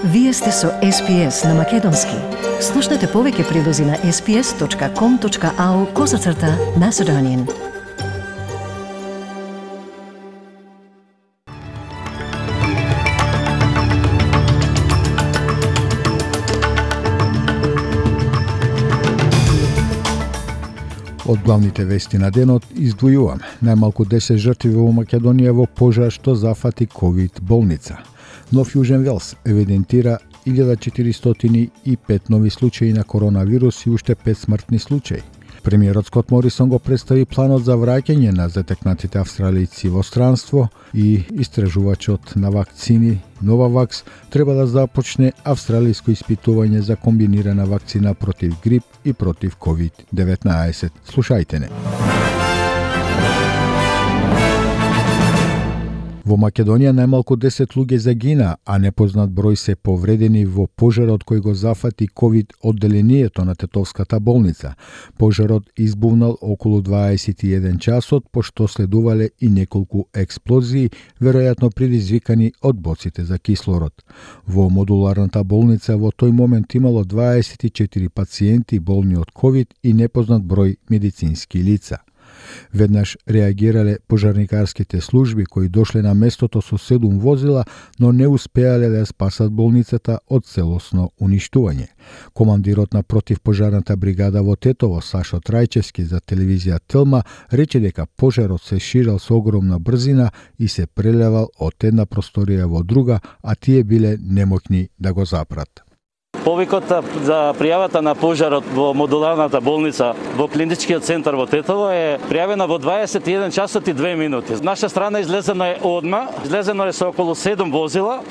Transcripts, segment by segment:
Вие сте со SPS на Македонски. Слушнете повеќе прилози на sps.com.au/Macedonian. Од главните вести на денот издвојувам најмалку 10 жртви во Македонија во пожар што зафати ковид болница. Нов Јужен Велс евидентира 1405 нови случаи на коронавирус и уште 5 смртни случаи. Премиерот Скот Морисон го представи планот за враќање на затекнатите австралијци во странство и истражувачот на вакцини Новавакс треба да започне австралиско испитување за комбинирана вакцина против грип и против COVID-19. Слушајте не. Во Македонија најмалку 10 луѓе загина, а непознат број се повредени во пожарот кој го зафати ковид одделението на Тетовската болница. Пожарот избувнал околу 21 часот, пошто следувале и неколку експлозии, веројатно предизвикани од боците за кислород. Во модуларната болница во тој момент имало 24 пациенти болни од ковид и непознат број медицински лица. Веднаш реагирале пожарникарските служби кои дошле на местото со 7 возила, но не успеале да спасат болницата од целосно уништување. Командирот на противпожарната бригада во Тетово, Сашо Трајчевски, за телевизија Телма, рече дека пожарот се ширал со огромна брзина и се прелевал од една просторија во друга, а тие биле немоќни да го запрат. Повикот за пријавата на пожарот во модуларната болница во клиничкиот центар во Тетово е пријавена во 21 часот и 2 минути. Наша страна излезено е одма, излезено е со околу 7 возила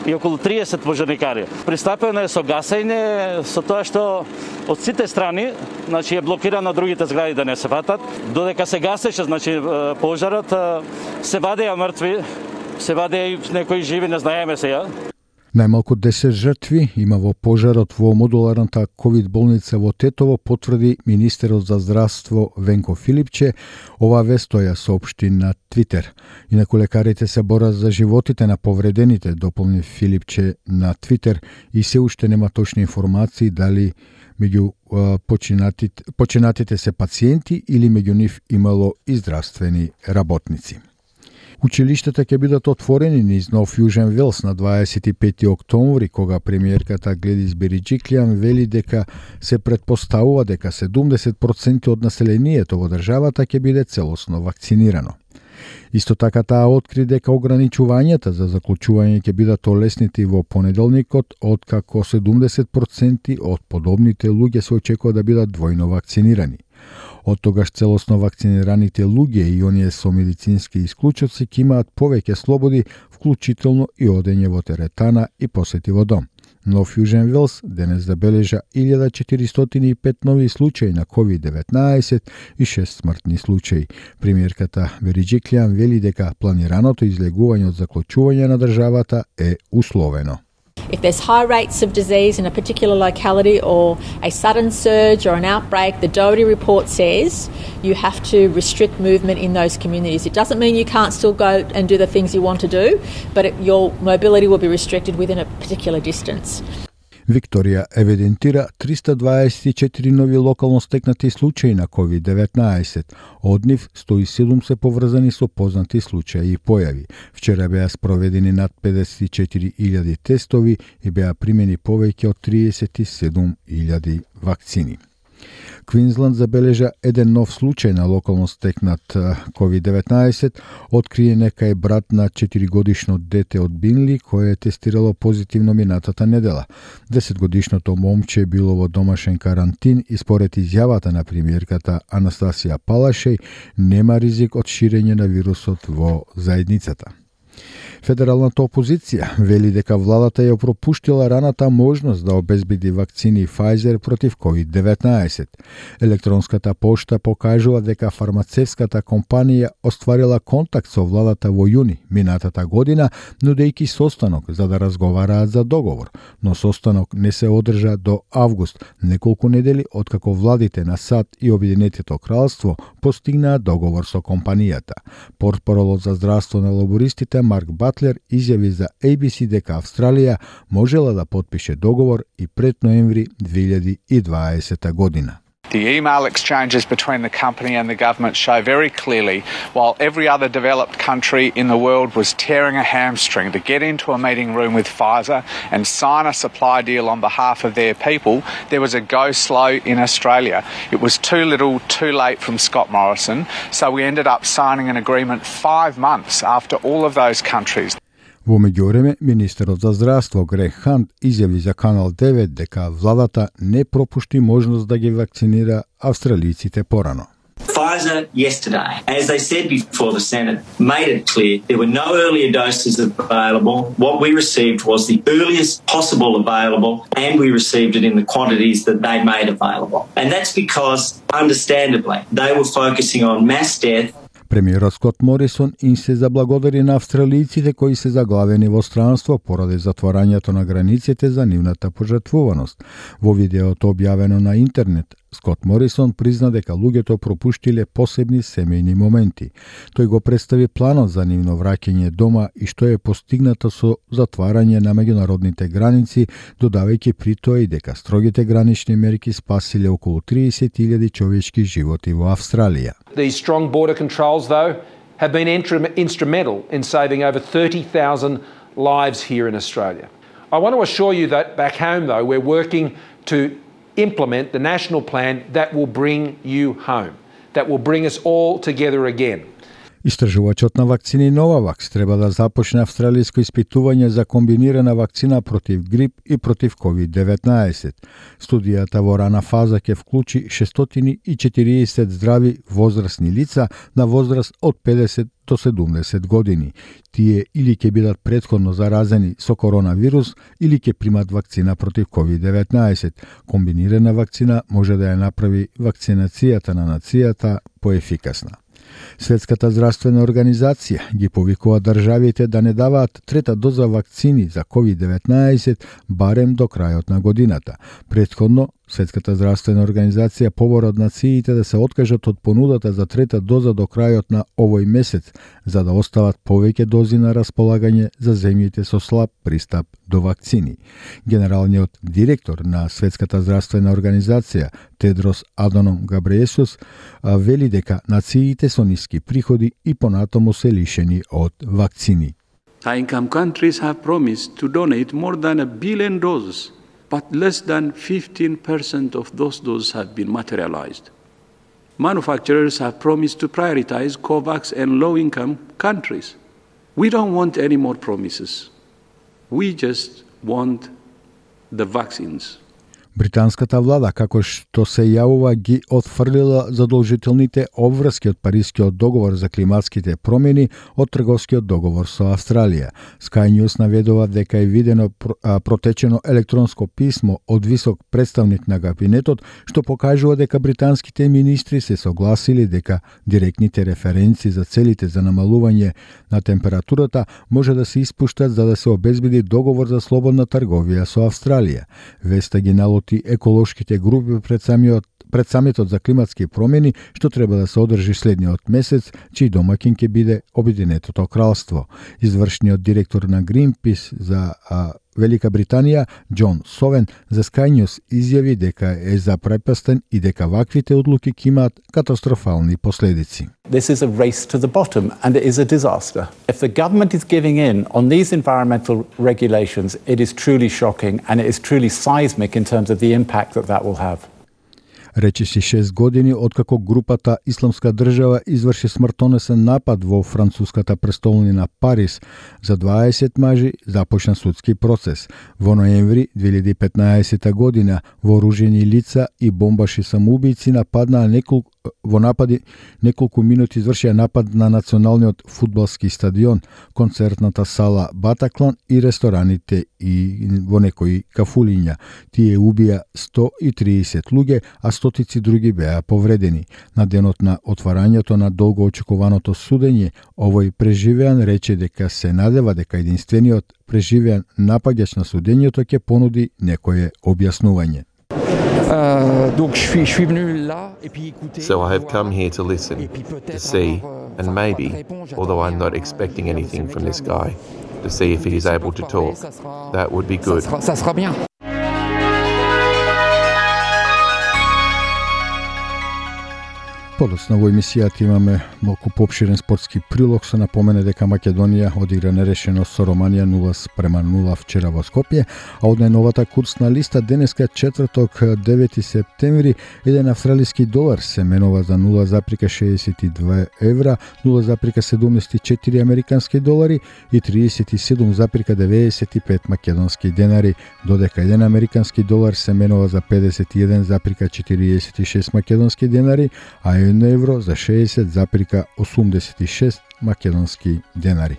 и околу 30 пожарникари. Пристапено е со гасење, со тоа што од сите страни, значи е блокирано другите згради да не се фатат. Додека се гасеше, значи пожарот, се вадеа мртви, се вадеа и некои живи, не знаеме сега. Најмалку 10 жртви има во пожарот во модуларната ковид болница во Тетово, потврди министерот за здравство Венко Филипче. Ова вест ја соопшти на Твитер. Инаку лекарите се борат за животите на повредените, дополни Филипче на Твитер, и се уште нема точни информации дали меѓу починатите се пациенти или меѓу нив имало и здравствени работници. Училиштата ќе бидат отворени низ Нов Јужен Велс на 25 октомври, кога премиерката Гледис Бериџиклијан вели дека се претпоставува дека 70% од населението во државата ќе биде целосно вакцинирано. Исто така таа откри дека ограничувањата за заклучување ќе бидат олеснити во понеделникот, откако 70% од подобните луѓе се очекува да бидат двојно вакцинирани. Од тогаш целосно вакцинираните луѓе и оние со медицински исклучоци ќе имаат повеќе слободи, вклучително и одење во теретана и посети во дом. Нов Јужен Велс денес забележа 1405 нови случаи на COVID-19 и 6 смртни случаи. Премиерката Бериџиклијан вели дека планираното излегување од заклучување на државата е условено. If there's high rates of disease in a particular locality or a sudden surge or an outbreak, the Doherty report says you have to restrict movement in those communities. It doesn't mean you can't still go and do the things you want to do, but your mobility will be restricted within a particular distance. Викторија евидентира 324 нови локално стекнати случаи на COVID-19. Од нив 107 се поврзани со познати случаи и појави. Вчера беа спроведени над 54.000 тестови и беа примени повеќе од 37.000 вакцини. Квинсланд забележа еден нов случај на локално стекнат COVID-19, открие нека е брат на 4-годишно дете од Бинли, кое е тестирало позитивно минатата недела. 10-годишното момче било во домашен карантин и според изјавата на премиерката Анастасија Палашеј нема ризик од ширење на вирусот во заедницата. Федералната опозиција вели дека владата ја пропуштила раната можност да обезбеди вакцини Pfizer против COVID-19. Електронската пошта покажува дека фармацевската компанија остварила контакт со владата во јуни минатата година, нудејќи состанок за да разговараат за договор, но состанок не се одржа до август, неколку недели откако владите на САД и Обединетото кралство постигнаа договор со компанијата. Портпаролот за здравство на лабористите Марк Бас Батлер изјави за ABC дека Австралија можела да потпише договор и пред ноември 2020 година. The email exchanges between the company and the government show very clearly, while every other developed country in the world was tearing a hamstring to get into a meeting room with Pfizer and sign a supply deal on behalf of their people, there was a go slow in Australia. It was too little, too late from Scott Morrison, so we ended up signing an agreement 5 months after all of those countries. Во меѓувреме, министерот за здравство Грег Хант изјави за Канал 9 дека владата не пропушти можност да ги вакцинира австралиците порано. Pfizer yesterday, as they said before the Senate, made it clear there were no earlier doses available. What we received was the earliest possible available, and we received it in the quantities that they made available. And that's because, understandably, they were focusing on mass death. Премиерот Скот Морисон им се заблагодари на австралиците кои се заглавени во странство поради затворањето на границите за нивната пожртвуваност. Во видеото објавено на интернет, Скот Морисон призна дека луѓето пропуштиле посебни семејни моменти. Тој го представи планот за нивно враќање дома и што е постигнато со затварање на меѓународните граници, додавајќи при тоа и дека строгите гранични мерки спасиле околу 30.000 човечки животи во Австралија. These strong border controls, though, have been instrumental in saving over 30,000 lives here in Australia. I want to assure you that back home, though, we're working to implement the national plan that will bring you home, that will bring us all together again. Истражувачот на вакцини Новавакс треба да започне австралиско испитување за комбинирана вакцина против грип и против COVID-19. Студијата во рана фаза ќе вклучи 640 здрави возрастни лица на возраст од 50 до 70 години. Тие или ќе бидат претходно заразени со коронавирус или ќе примат вакцина против COVID-19. Комбинирана вакцина може да ја направи вакцинацијата на нацијата поефикасна. Светската здравствена организација ги повикува државите да не даваат трета доза вакцини за COVID-19 барем до крајот на годината. Претходно, Светската здравствена организација побара од нациите да се откажат од понудата за трета доза до крајот на овој месец, за да остават повеќе дози на располагање за земјите со слаб пристап до вакцини. Генералниот директор на Светската здравствена организација Тедрос Аданом Габриесус вели дека нациите со ниски приходи и понатаму се лишени од вакцини. High-income countries have promised to donate more than 1 billion doses, but less than 15% of those doses have been materialized. Manufacturers have promised to prioritize COVAX and low-income countries. We don't want any more promises. We just want the vaccines. Британската влада, како што се јавува, ги отфрлила задолжителните обврски од Парискиот договор за климатските промени од трговскиот договор со Австралија. Sky News наведува дека е видено протечено електронско писмо од висок представник на кабинетот, што покажува дека британските министри се согласили дека директните референци за целите за намалување на температурата може да се испуштат за да се обезбеди договор за слободна трговија со Австралија. Веста ги налоти еколошките групи пред самитот за климатски промени, што треба да се одржи следниот месец, чиј домаќин ќе биде Обединетото кралство. Извршниот директор на Greenpeace за Велика Британија, Џон Совен, за Sky News изјави дека е запрепастен и дека ваквите одлуки ќе имаат катастрофални последици. This is a race to the bottom and it is a disaster. If the government is giving in on these environmental regulations, it is truly shocking and it is truly seismic in terms of the impact that will have. Речиси 6 години откако групата Исламска држава изврши смртонесен напад во француската престолнина Париз, за 20 мажи започна судски процес. Во ноември 2015 година вооружени лица и бомбаши самоубијци нападнаа неколку минути извршија напад на националниот фудбалски стадион, концертната сала Батаклан и рестораните и во некои кафулиња. Тие убија 130 луѓе, а стотици други беа повредени. На денот на отварањето на долго очекуваното судење, овој преживеан рече дека се надева дека единствениот преживеан напаѓач на судењето ќе понуди некое објаснување. So I have come here to listen, to see, and maybe, although I'm not expecting anything from this guy, to see if he is able to talk. That would be good. Ça sera bien. Подоцна во емисијата имаме малку поопширен спортски прилог, се напомене дека Македонија одигра нерешено со Романија 0-0 вчера во Скопје, а од најновата курсна листа денеска четврток 9 септември еден австралиски долар се менува за 0,62 евра, 0,74 американски долари и 37,95 македонски денари, додека еден американски долар се менува за 51,46 македонски денари, а 1 евро за 60,86 македонски денари.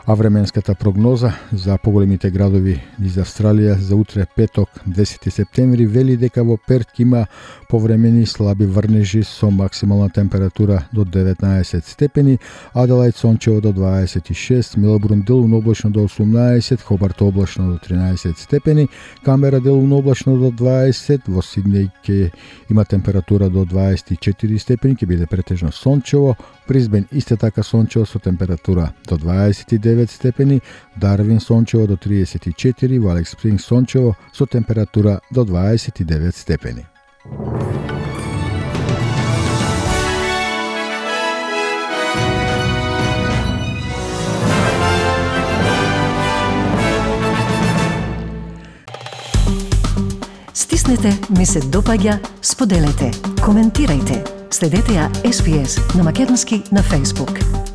А временската прогноза за поголемите градови из Австралија за утре петок 10 септември вели дека во Перт има повремени слаби врнежи со максимална температура до 19 степени, Аделаид сончево до 26, Мелбурн делумно облачно до 18, Хобарт облачно до 13 степени, Камбера делумно облачно до 20, во Сиднеј ќе има температура до 24 степени, ќе биде претежно сончево, Брисбен исто така сончево со температура до 29 степени, Дарвин сончево до 34, во Алекс Спринг сончево со температура до 29 степени. Стиснете, ми се допаѓа, споделете, коментирајте. Следете ја SPS на Македонски на Facebook.